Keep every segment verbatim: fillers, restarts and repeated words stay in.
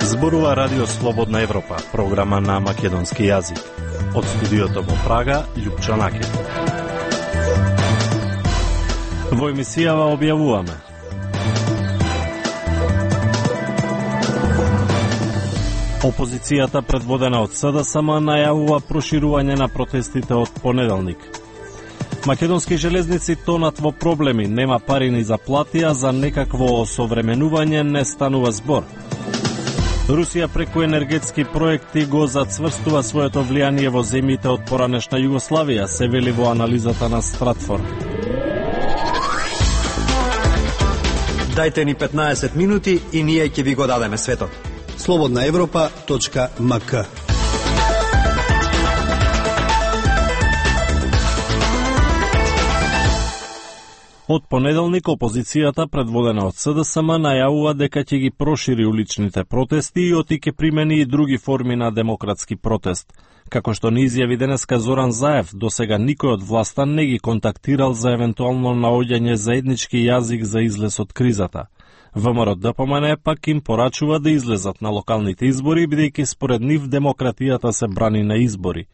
Зборува Радио Слободна Европа, програма на македонски јазик. Од студиото во Прага, Љупчо Накев. Во емисијава објавуваме: опозицијата предводена од СДСМ најавува проширување на протестите од понеделник. Македонски железници тонат во проблеми, нема пари ни за плати, а за некакво осовременување не станува збор. Русија преку енергетски проекти го зацврстува своето влијание во земјите од поранешна Југославија, се вели во анализата на Стратфорд. Дајте ни петнаесет минути и ние ќе ви го дадеме светот. слободна европа точка ем ка. Од понеделник опозицијата, предводена од СДСМ, најавува дека ќе ги прошири уличните протести и оти ќе примени и други форми на демократски протест. Како што ни изјави денеска Зоран Заев, досега никој од власта не ги контактирал за евентуално наоѓање заеднички јазик за излез од кризата. ВМРО Д П М Н пак им порачува да излезат на локалните избори, бидејќи според нив демократијата се брани на избори.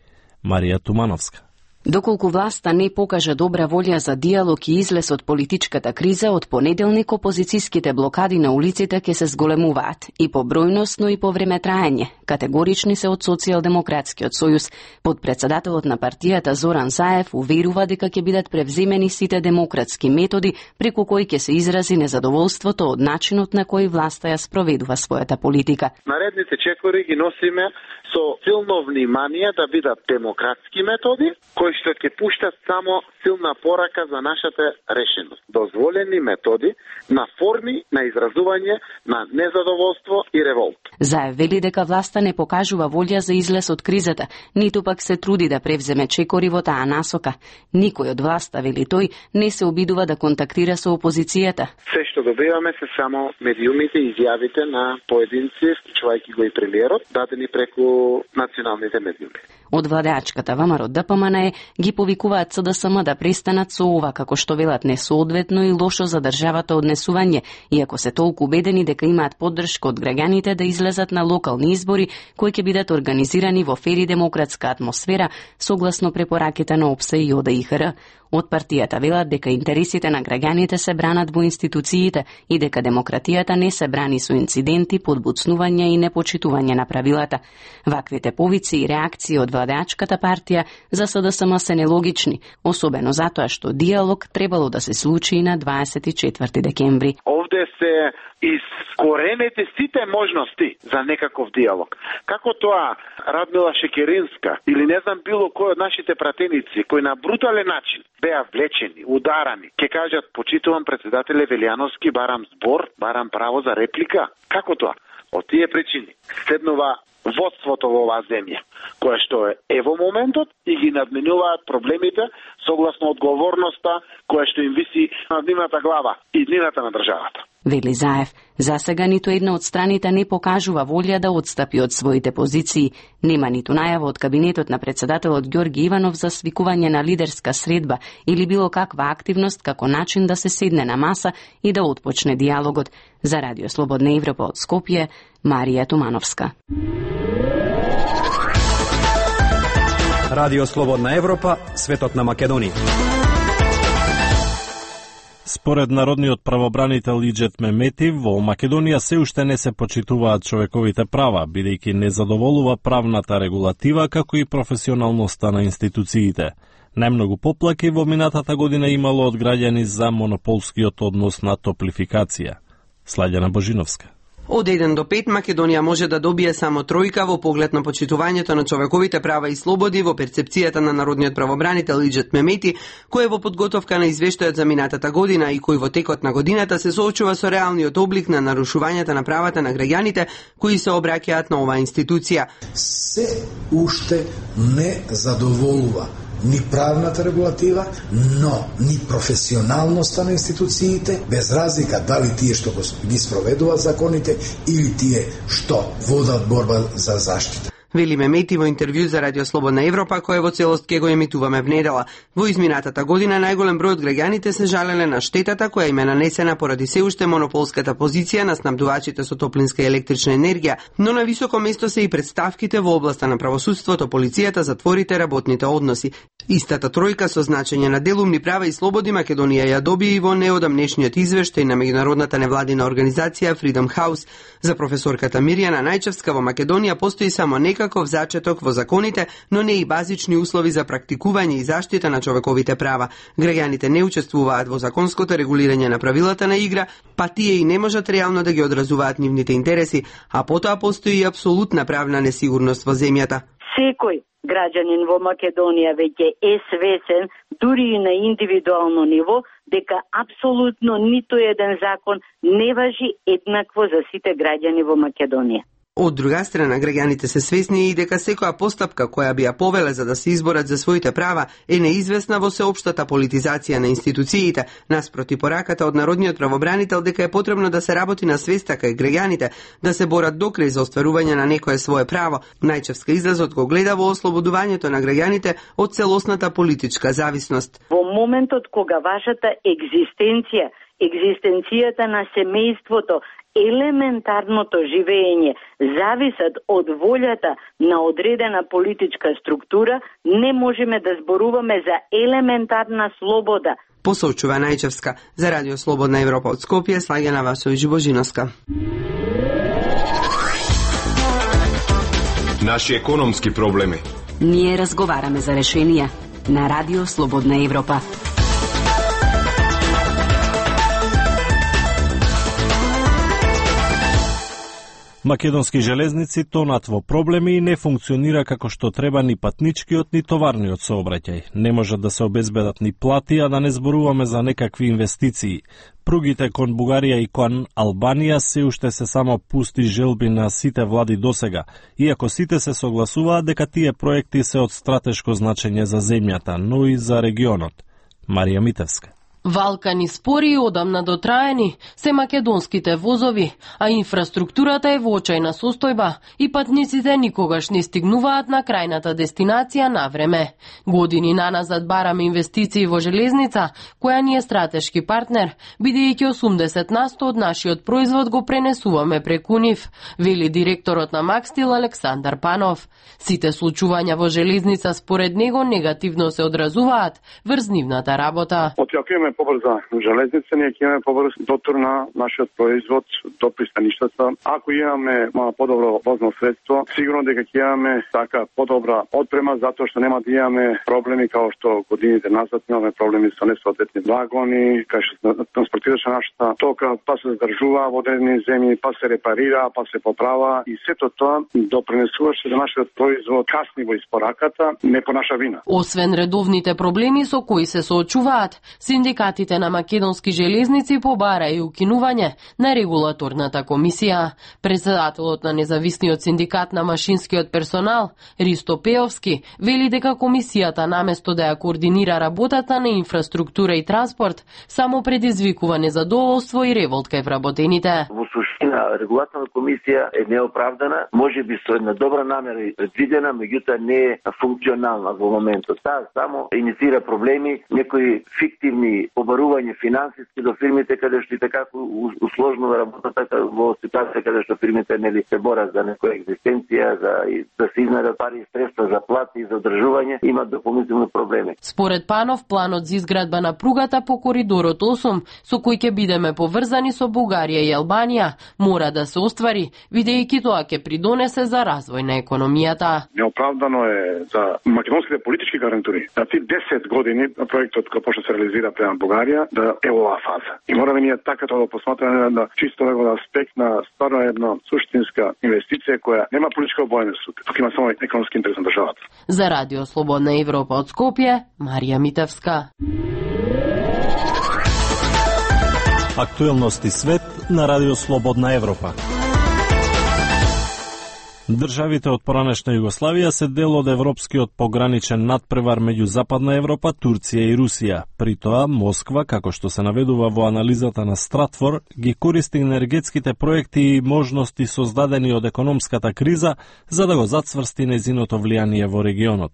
Марија Тумановска. Доколку власта не покаже добра волја за диалог и излез од политичката криза, од понеделник опозицијските блокади на улиците ќе се зголемуваат и по бројност, но и по време траење. Категорични се од Социјалдемократскиот сојуз. Подпредседателот на партијата Зоран Заев уверува дека ќе бидат превземени сите демократски методи преку кои ќе се изрази незадоволството од начинот на кој власта ја спроведува својата политика. Наредните чекори ги носиме со силно внимание да бидат демократски методи, кои што ќе пуштат само силна порака за нашата решеност. Дозволени методи на форми на изразување на незадоволство и револт. Заев вели дека власта не покажува волја за излез од кризата, ниту пак се труди да превземе чекори во таа насока. Никој од власта, вели тој, не се обидува да контактира со опозицијата. Се што добиваме се само медиумите и изјавите на поединци, вклучувајќи го и премиерот, дадени преку националните медиуми. Од владеачката ВМРО Д П М Н ги повикуваат СДСМ да престанат со ова, како што велат, несоодветно и лошо за државата однесување, иако се толку убедени дека имаат поддршка од граѓаните да излезат на локални избори, кои ќе бидат организирани во фер и демократска атмосфера, согласно препораките на ОПСЕ и О Д И Х Р. Од партијата велат дека интересите на граѓаните се бранат во институциите и дека демократијата не се брани со инциденти, подбуцнување и непочитување на правилата. Ваквите повици и реакции од владеачката партија за СДСМ се нелогични, особено затоа што диалог требало да се случи на дваесет и четврти декември. Овде се искоренете сите можности за некаков диалог. Како тоа Радмила Шекеринска или не знам било кој од нашите пратеници кои на брутален начин беа влечени, ударани, ќе кажат: почитувам председателе Велјановски, барам збор, барам право за реплика. Како тоа? Од тие причини седнува водството во оваа земја, кое што е во моментот и ги надменуваат проблемите согласно одговорноста која што им виси на нивната глава и нивната на државата. Вели Заев, засега ниту една од страните не покажува волја да отстапи од своите позиции. Нема ниту најава од кабинетот на председателот Ѓорги Иванов за свикување на лидерска средба или било каква активност како начин да се седне на маса и да отпочне диалогот. За Радио Слободна Европа од Скопје, Марија Тумановска. Радио Слободна Европа, светот на Македонија. Според народниот правобранител Иџет Мемети, во Македонија се уште не се почитуваат човековите права, бидејќи не задоволува правната регулатива како и професионалноста на институциите. Најмногу поплаки во минатата година имало од граѓани за монополскиот однос на топлификација. Слаѓана Божиновска. Од еден до пет Македонија може да добие само тројка во поглед на почитувањето на човековите права и слободи во перцепцијата на народниот правобранител Иџет Мемети, кој е во подготовка на извештајот за минатата година и кој во текот на годината се соочува со реалниот облик на нарушувањата на правата на граѓаните кои се обраќаат на оваа институција. Се уште не задоволува ни правната регулатива, но ни професионалноста на институциите, без разлика дали тие што ги спроведуваат законите или тие што водат борба за заштита. Вели Мемети во интервју за Радио Слободна Европа, кој во целост ке го емитуваме внедела. Во изминатата година најголем број од граѓаните се жалеле на штетата која им е нанесена поради се уште монополската позиција на снабдувачите со топлинска и електрична енергија, но на високо место се и представките во областа на правосудството, полицијата, затворите, работните односи. Истата тројка со значење на делумни права и слободи Македонија ја добија и во неодамнешниот извештај на меѓународната невладина организација Freedom House. За професорката Мирјана Најчевска во Македонија постои само некаков зачеток во законите, но не и базични услови за практикување и заштита на човековите права. Граѓаните не учествуваат во законското регулирање на правилата на игра, па тие и не можат реално да ги одразуваат нивните интереси, а потоа постои и апсолутна правна несигурност во земјата. Секој граѓанин во Македонија веќе е свесен, дури и на индивидуално ниво, дека апсолутно ниту еден закон не важи еднакво за сите граѓани во Македонија. Од друга страна, граѓаните се свесни и дека секоја постапка која би ја повеле за да се изборат за своите права е неизвестна во сеопштата политизација на институциите, наспроти пораката од народниот правобранител дека е потребно да се работи на свеста кај граѓаните, да се борат докрај за остварување на некое свое право. Најчевска излазот го гледа во ослободувањето на граѓаните од целосната политичка зависност. Во моментот кога вашата екзистенција, екзистенцијата на семејството, елементарното живење зависат од волјата на одредена политичка структура, не можеме да зборуваме за елементарна слобода. Посочува Најчевска. За Радио Слободна Европа од Скопје, Слаѓана Васовиќ Божиновска. Наши економски проблеми. Ние разговараме за решенија на Радио Слободна Европа. Македонски железници тонат во проблеми и не функционира како што треба ни патничкиот ни товарниот сообраќај. Не можат да се обезбедат ни плати, а да не зборуваме за некакви инвестиции. Пругите кон Бугарија и кон Албанија се уште се само пусти желби на сите влади досега, иако сите се согласуваат дека тие проекти се од стратешко значење за земјата, но и за регионот. Марија Митевска. Валкани спори и одамна дотраени се македонските возови, а инфраструктурата е во очајна состојба и патниците никогаш не стигнуваат на крајната дестинација на време. Години наназад бараме инвестиции во железница, која ни е стратешки партнер, бидејќи осумдесет на сто од нашиот производ го пренесуваме преку нив, вели директорот на Макстил Александар Панов. Сите случувања во железница според него негативно се одразуваат врз нивната работа. Побрза железница, ние ќе имаме побрз дотур на нашиот производ до пристаништата. Ако имаме подобро возно средство, сигурно дека ќе имаме така подобра отпрема, затоа што нема да имаме проблеми као што годините назад имаме проблеми со несоодветни вагони, кај што транспортираше нашата тока, па се задржува во одредени земји, па се репарира, па се поправа и сето тоа допринесуваше за нашиот производ касни во испораката, не по наша вина. Освен редовните проблеми со кои се соочуваат, синдикатите на македонски железници побара и укинување на регулаторната комисија. Председателот на независниот синдикат на машинскиот персонал, Ристо Пеовски, вели дека комисијата наместо да ја координира работата на инфраструктура и транспорт, само предизвикува незадоволство и револт кај вработените. Во суштина, регулаторна комисија е неоправдана, може би со една добра намера и предвидена, меѓутоа не е функционална во моментот. Таа само инициира проблеми, некои фиктивни обарување финансиски до фирмите каде што и така усложнува работата во ситуација каде што фирмите нели се борат за некоја екзистенција, за да се изнајдат пари и средства за плати и за одржување, имаат дополнителни проблеми. Според Панов, планот за изградба на пругата по коридорот осум, со кој ќе бидеме поврзани со Бугарија и Албанија, мора да се оствари, бидејќи тоа ќе придонесе за развој на економијата. Неоправдано е за македонските политички гарантури да ти десет години проектот кој почна се реализира према Бугарија да е оваа фаза. И мораме ние така тоа да посматраме на чисто него аспект на стварно една суштинска инвестиција која нема политичка обојност, тука има само економски интерес на државата. За Радио Слободна Европа од Скопје, Марија Митевска. Актуелности свет на Радио Слободна Европа. Државите од поранешна Југославија се дел од европскиот пограничен надпревар меѓу Западна Европа, Турција и Русија. При тоа, Москва, како што се наведува во анализата на Стратфор, ги користи енергетските проекти и можности создадени од економската криза за да го зацврсти незиното влијание во регионот.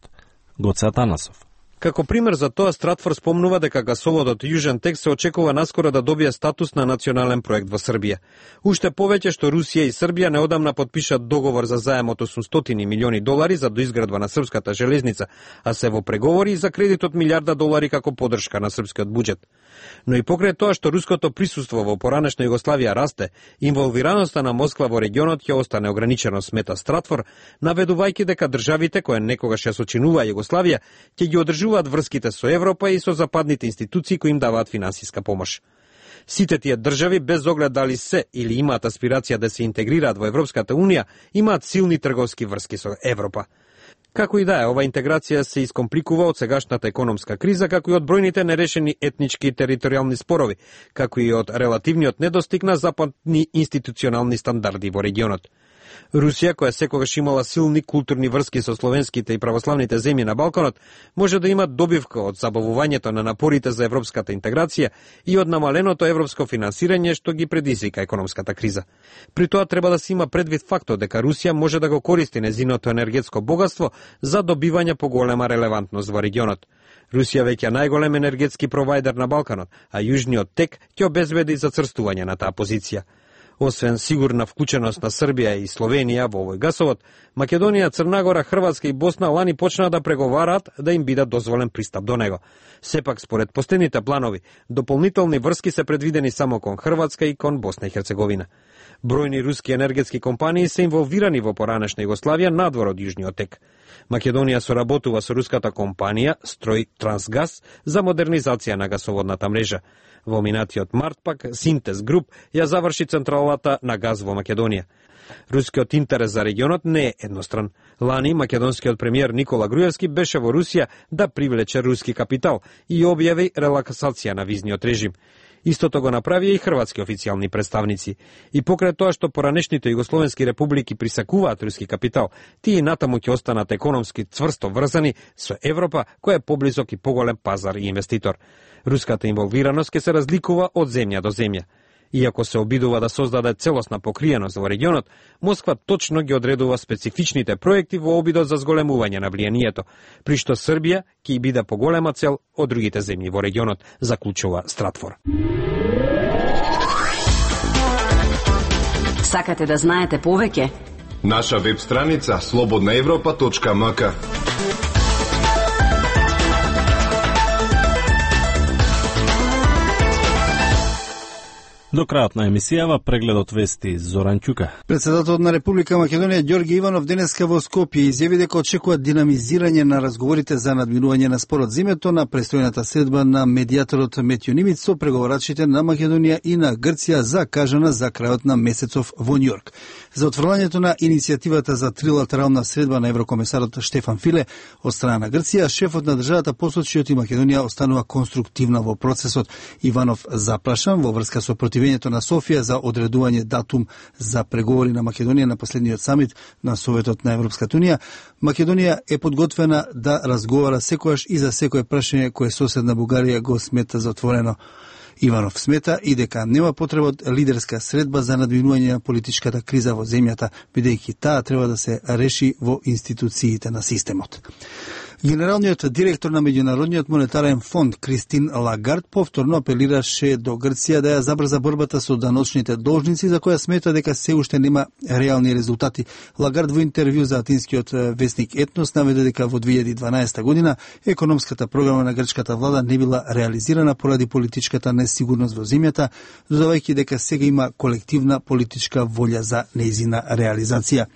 Гоце Атанасов. Како пример за тоа, Стратфор спомнува дека гасоводот Јужен тек се очекува наскоро да добие статус на национален проект во Србија. Уште повеќе што Русија и Србија неодамна потпишат договор за заем од осумстотини милиони долари за доизградба на српската железница, а се во преговори за кредит од милиарда долари како поддршка на српскиот буџет. Но и покрај тоа што руското присуство во поранешна Југославија расте, инволвираноста на Москва во регионот ќе остане ограничено, смета Стратфор, наведувајќи дека државите кои некогаш ја сочинуваа Југославија ќе ги одржуваат врските со Европа и со западните институции кои им даваат финансиска помош. Сите тие држави, без оглед дали се или имаат аспирација да се интегрираат во Европската унија, имаат силни трговски врски со Европа. Како и да е, ова интеграција се искомпликува од сегашната економска криза, како и од бројните нерешени етнички и територијални спорови, како и од релативниот недостиг на западни институционални стандарди во регионот. Русија, која секогаш имала силни културни врски со словенските и православните земји на Балканот, може да има добивка од забавувањето на напорите за европската интеграција и од намаленото европско финансирање што ги предизвика економската криза. При тоа треба да се има предвид фактот дека Русија може да го користи незиното енергетско богатство за добивање поголема релевантност во регионот. Русија веќе е најголем енергетски провајдер на Балканот, а Јужниот тек ќе обезбеди зацрстување на таа позиција. Освен сигурна вклученост на Србија и Словенија во овој гасовод, Македонија, Црна Гора, Хрватска и Босна лани почнаа да преговараат да им биде дозволен пристап до него. Сепак, според последните планови, дополнителни врски се предвидени само кон Хрватска и кон Босна и Херцеговина. Бројни руски енергетски компании се инволвирани во поранешна Југославија надвор од Јужниот тек. Македонија соработува со руската компанија Строј Трансгаз за модернизација на гасоводната мрежа. Во минатиот март пак Синтез Груп ја заврши централата на газ во Македонија. Рускиот интерес за регионот не е едностран. Лани македонскиот премиер Никола Груевски беше во Русија да привлече руски капитал и објави релаксација на визниот режим. Истото го направија и хрватски официјални представници. И покрај тоа што поранешните југословенски републики присакуваат руски капитал, тие натаму ќе останат економски цврсто врзани со Европа, која е поблизок и поголем пазар и инвеститор. Руската инволвираност ќе се разликува од земја до земја. Иако се обидува да создаде целосна покриеност во регионот, Москва точно ги одредува специфичните проекти во обидот за зголемување на влијанието, при што Србија ќе биде поголема цел од другите земји во регионот, заклучува Стратфор. Сакате да знаете повеќе? Наша веб страница слободна европа точка ем ка. До крајот на емисијава прегледот вести Зоран Ќука. Председателот на Република Македонија Ѓорги Иванов денеска во Скопје изјави дека очекува динамизирање на разговорите за надминување на спорот зимето на престојната средба на медијаторот Метјо Нимиц со преговарачите на Македонија и на Грција закажана за крајот на месецов во Њујорк. За отфрлањето на иницијативата за трилатерална средба на еврокомесарот Штефан Филе од страна на Грција, шефот на државата посочи оти Македонија останува конструктивна во процесот. Иванов запрашан во врска со против на Софија за одредување датум за преговори на Македонија на последниот самит на Советот на Европската унија, Македонија е подготвена да разговара секојаш и за секое прашање кое соседна Бугарија го смета за отворено. Иванов смета и дека нема потреба од лидерска средба за надминување на политичката криза во земјата, бидејќи таа треба да се реши во институциите на системот. Генералниот директор на Меѓународниот монетарен фонд Кристин Лагард повторно апелираше до Грција да ја забрза борбата со даночните должници, за која смета дека се уште нема реални резултати. Лагард во интервју за атинскиот весник Етнос наведе дека во две илјади и дванаесета година економската програма на грчката влада не била реализирана поради политичката несигурност во земјата, додавајќи дека сега има колективна политичка волја за нејзина реализација.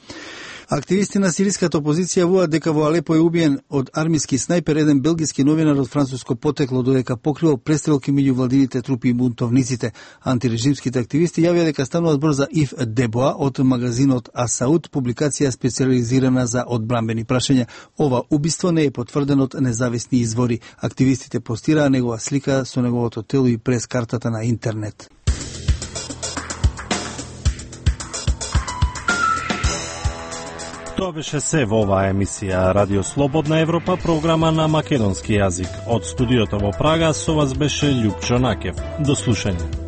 Активисти на сириската опозиција воат дека во Алепо е убиен од армиски снајпер еден белгиски новинар од француско потекло, додека покривал престрелки меѓу владините трупи и бунтовниците. Антирежимските активисти јавија дека станува збор за Ив Дебоа од магазинот Асауд, публикација специализирана за одбранбени прашања. Ова убиство не е потврдено од независни извори. Активистите постираа негова слика со неговото тело и прес картата на интернет. Тоа беше се во оваа емисија Радио Слободна Европа, програма на македонски јазик. Од студиото во Прага со вас беше Љупчо Накев. До слушање.